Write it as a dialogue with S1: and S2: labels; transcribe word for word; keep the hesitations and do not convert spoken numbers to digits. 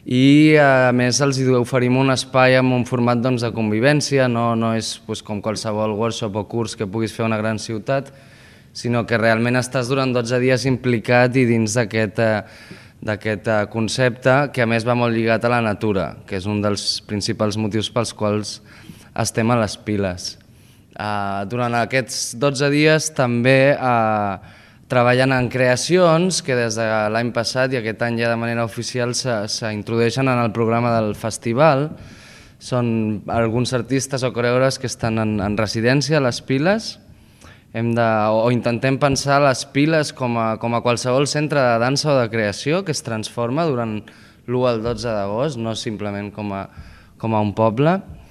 S1: i a més els oferim un espai amb un format doncs, de convivència, no, no és doncs, com qualsevol workshop o curs que puguis fer a una gran ciutat, sinó que realment estàs durant dotze dies implicat i dins d'aquest d'aquest concepte, que a més va molt lligat a la natura, que és un dels principals motius pels quals estem a les piles. Uh, durant aquests dotze dies també uh, treballen en creacions que des de l'any passat i aquest any ja de manera oficial s'introdueixen en el programa del festival. Són alguns artistes o coreògrafs que estan en, en residència a les Piles. Hem de, o intentem pensar les Piles com a, com a qualsevol centre de dansa o de creació que es transforma durant l'u al dotze d'agost, no simplement com a, com a un poble.